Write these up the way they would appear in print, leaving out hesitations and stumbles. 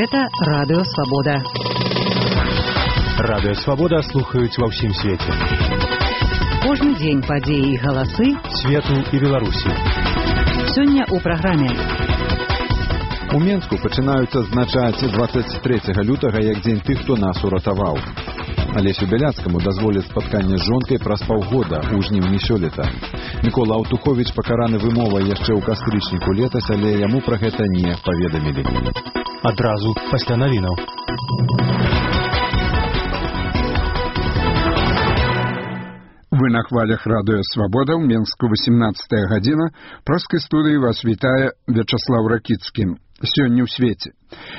Гэта Радыё Свабода. Радыё Свабода слухаюць ва ўсім свеце. Кожны дзень падзеі і галасы свету і Беларусі. Сёння ў праграме. У Менску пачынаюць адзначаць 23 лютага як дзень тых, хто нас уратаваў. Алесю Бяляцкаму дазволяць спатканне з жонкай праз паўгода ў жніўні сёлета. Мікола Аўтуховіч пакараны вымовай яшчэ ў кастрычніку летась, але яму пра гэта не паведамілі. Адразу пасля навінаў. Вы на хвалях Радыё Свабода, ў Менску 18 гадзіна. Праскай студыі вас вітае Вячаслаў Ракіцкі. Сёння ў свеце.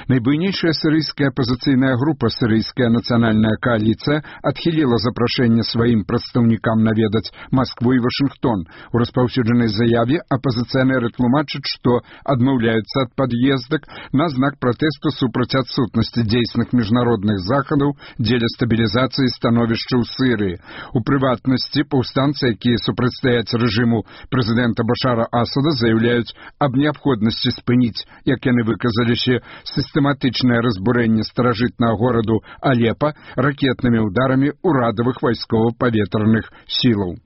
Найбуйнейшая сірыйская апазіцыйная група «Сірыйская нацыянальная коаліцыя» адхіліла запрашэнне сваім прадстаўнікам наведаць Маскву і Вашынгтон. У распаўсюджанай заяве апазіцыянеры тлумачаць, што адмаўляюцца ад пад'ездак на знак пратэсту супраць адсутнасці дзейсных міжнародных захадаў дзеля стабілізацыі становішча ў Сірыі. У прыватнасці, паўстанцы, якія супрацьстаяць рэжыму прэзідэнта Башара Асада, заяўляюць аб неабходнасці спыніць, як яны выказаліся, сістэматычнае разбурэнне старажытнага гораду Алепа ракетнымі ўдарамі ўрадавых вайскова-паветраных сілаў.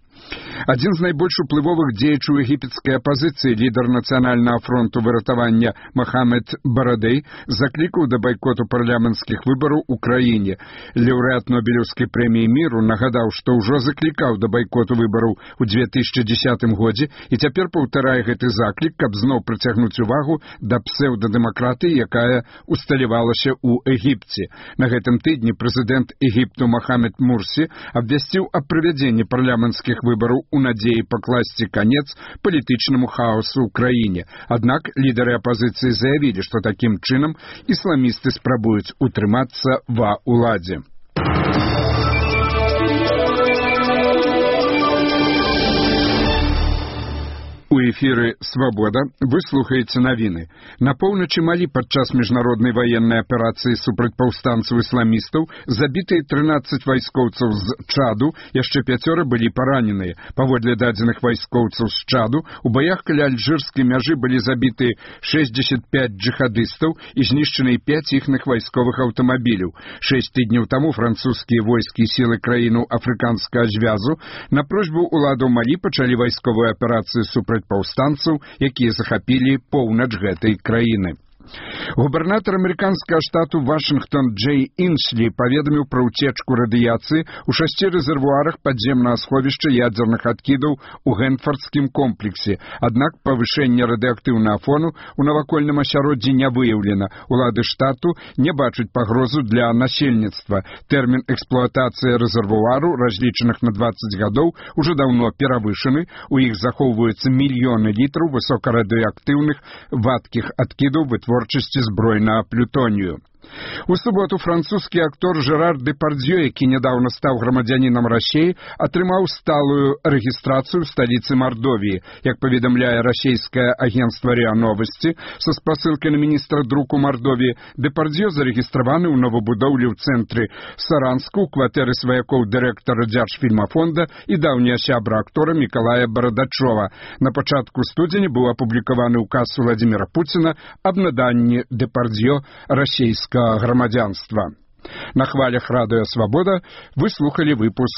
Адзін з найбольш уплывовых дзеячаў егіпецкай апазіцыі, лідар нацыянальнага фронту выратавання Мохаммед Барадэй, заклікаў да байкоту парламенцкіх выбараў у краіне. Лаўрэат Нобелеўскай прэміі міру нагадаў, што ўжо заклікаў да байкоту выбараў у 2010 годзе і цяпер паўтарае гэты заклік, каб зноў прыцягнуць увагу да псеўдадэмакратыі, якая усталявалася ў Егіпце. На гэтым тыдні прэзідэнт Егіпту Мохаммед Мурсі абвясціў аб правядзенні парламенцкіх выбараў у надзеі пакласці канец палітычнаму хаосу ў краіне. Аднак лідары апазіцыі заявілі, што такім чынам ісламісты спрабуюць утрымацца ва ўладзе. У эфіры «Свабода» вы слухаеце навіны. На поўначы Малі падчас міжнароднай ваеннай аперацыі супраць паўстанцаў-ісламістаў забітыя 13 вайскоўцаў з Чаду, яшчэ 5 былі параненыя. Паводле дадзеных вайскоўцаў з Чаду, у баях каля альжырскай мяжы былі забітыя 65 джихадыстаў і знішчаны 5 іхных вайсковых аўтамабіляў. 6 тыдняў таму французскія войскі і сілы краіну афрыканскага звязу на просьбу ўладаў Малі пачалі вайсковую аперацыю супраць паўстанцаў, якія захапілі поўнач гэтай краіны. Губернатар амерыканскага штату Вашынгтон Джей Іншлі паведаміў пра ўцечку радыяцыі ў 6 рэзервуарах падземнага сховішча ядзерных адкідаў у Гэнфардскім комплексе. Аднак павышэнне радыеактыўнага фону ў навакольным асяроддзі не выяўлена. Улады штату не бачаць пагрозу для насельніцтва. Тэрмін эксплуатацыі рэзервуару, разлічаных на 20 гадоў, ужо даўно перавышаны. У іх захоўваюцца мільёны літраў высокарадыеактыўных вадкіх адкідаў вытворчасці збройнага плютонію. У суботу французскі актор Жерар Депардзьё, які нядаўна стаў грамадзянінам Расіі, атрымаў сталую рэгістрацыю ў сталіцы Мардовіі. Як паведамляе расійскае агенцтва РИА Новости, са спасылкай на міністра друку Мардовіі, Депардзьё зарэгістраваны ў новабудоўлі ў цэнтры Саранску ў кватэры сваякоў дырэктара Дзяржфільмафонда і даўняга сябра актора Мікалая Барадачова. На пачатку студзеня быў апублікаваны ўказ Владзіміра Пуціна аб наданні Депардзьё расійскага грамадзянства. На хвалях Радыё Свабода вы слухали выпуск